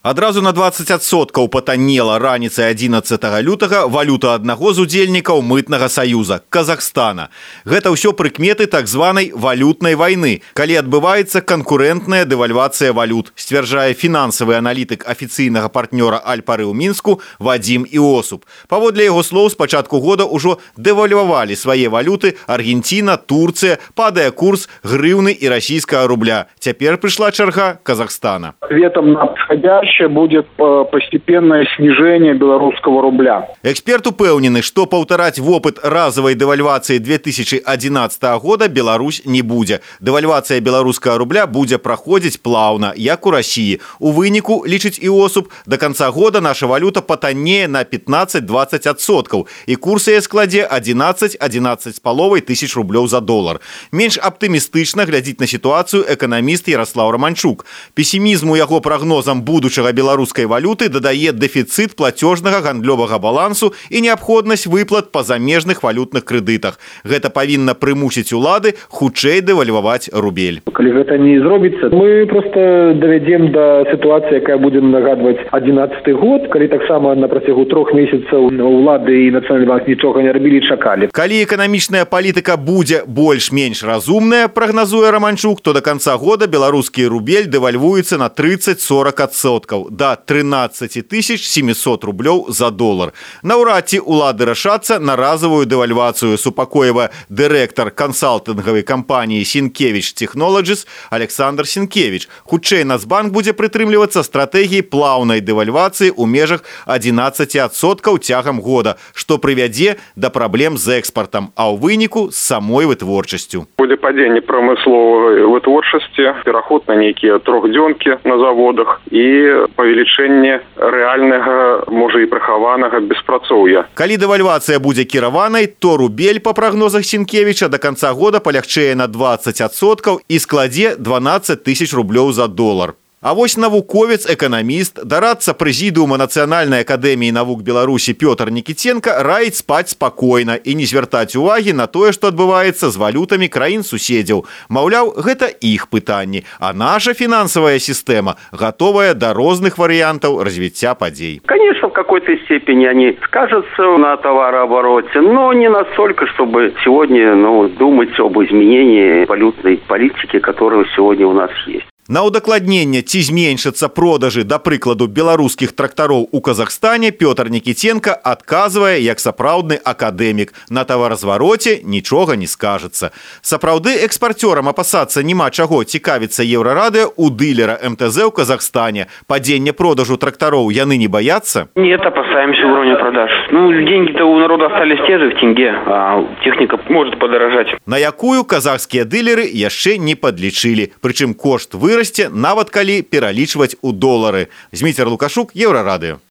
Адразу на 20% патаннела раніцай 11 лютага валюта аднаго з удзельнікаў мытнага саюза – Казахстана. Гэта ўсё прыкметы так званай валютнай вайны, калі адбываецца канкурэнтная дэвальвацыя валют, сцвярджае фінансавы аналітык афіцыйнага партнёра Аль-Пары ў Мінску Вадзім Іосуп. Паводле яго слоў, з пачатку года ўжо дэвальвавалі свае валюты Аргенціна, Турцыя, падае курс грыўны і расійскага рубля. Цяпер прыйшла чарга Казахстана. Ответом на подходящее будет постепенное снижение белорусского рубля. Эксперт упэўнены, што паўтараць вопыт разовой дэвальвацыі 2011 года Беларусь не будзе. Дэвальвацыя беларускага рубля будзе праходзіць плаўна, як у Расіі. У выніку, лічыць Іосуп, до конца года наша валюта патаннее на 15-20%, і курс яе складзе 11-11,5 тысяч рублёў за долар. Менш аптымістычна глядзіць на сітуацыю эканаміст Ярослав Романчук. Пессімізму яго прогнозам будучага беларускай валюты дадае дэфіцыт плацёжнага гандлёвага балансу і неабходнасць выплат па замежных валютных крэдытах. Гэта павінна прымусіць улады хутчэй дэвальваваць рубель. Калі гэта не зробіцца, мы просто давядзем да сітуацыі, якая будзе нагадваць 11 год, калі таксама на працягу 3 месяцаў улады і Нацыянальны банк нічога не рабілі, чакалі. Калі эканамічная палітыка будзе больш-менш разумная, прагназуе Романчук, то до конца года беларускі рубель дэвальвуецца на 30-40% до 13 700 рублёў за долар. Наўрад ці улады рашацца на разовую дэвальвацыю, супакоіва дырэктар кансалтынгавай кампаніі Сінкевіч Технолоджис Александр Сінкевіч. Хутчэй Нацбанк будзе прытрымлівацца стратэгіі плаўнай дэвальвацыі ў межах 11% цягам года, што прывядзе да праблем з экспартам, а ў выніку з самой вытворчасцю. Будзе падзенне прамысловай вытворчасці, пераход на нейкія трохдзёнкі на заводах і павелічэнне рэальнага, можа і прыхаванага беспрацоўя. Калі дэвальвацыя будзе кіраванай, то рубель, па прагнозах Сінкевіча, до конца года палягчэе на 20% і складзе 12 тысяч рублёў за долар. А вось навуковец, эканаміст, дарадца прэзідыума Нацыянальнай акадэміі навук Беларусі Пётр Нікіценка раіць спаць спакойна і не звяртаць увагі на тое, што адбываецца з валютамі краін-суседзяў. Маўляў, гэта іх пытанні, а наша фінансавая сістэма гатовая да розных варыянтаў развіцця падзей. Конечно, в какой-то степени они скажутся на товарообороте, но не настолько, чтобы сегодня думать об изменении валютной политики, которая сегодня у нас есть. На ўдакладненне, ці зменшацца продажы, да прыкладу, беларускіх трактароў у Казахстане, Пётр Нікіценка адказвае як сапраўдны акадэмік. На таваразвароце нічога не скажацца. Сапраўды экспарцёрам апасацца няма чаго, цікавіцца Еўрарадыё у дылера МТЗ ў Казахстане. Падзенне продажу трактароў яны не боятся? Нет, опасаемся уровня продаж. Деньги-то у народа остались те же в тенге, а техника может подорожать. На якую казахскія дылеры яшчэ не падлічылі. Прычым кошт вырасце, нават калі пералічваць у долары. Зміцер Лукашук, Еўрарадыё.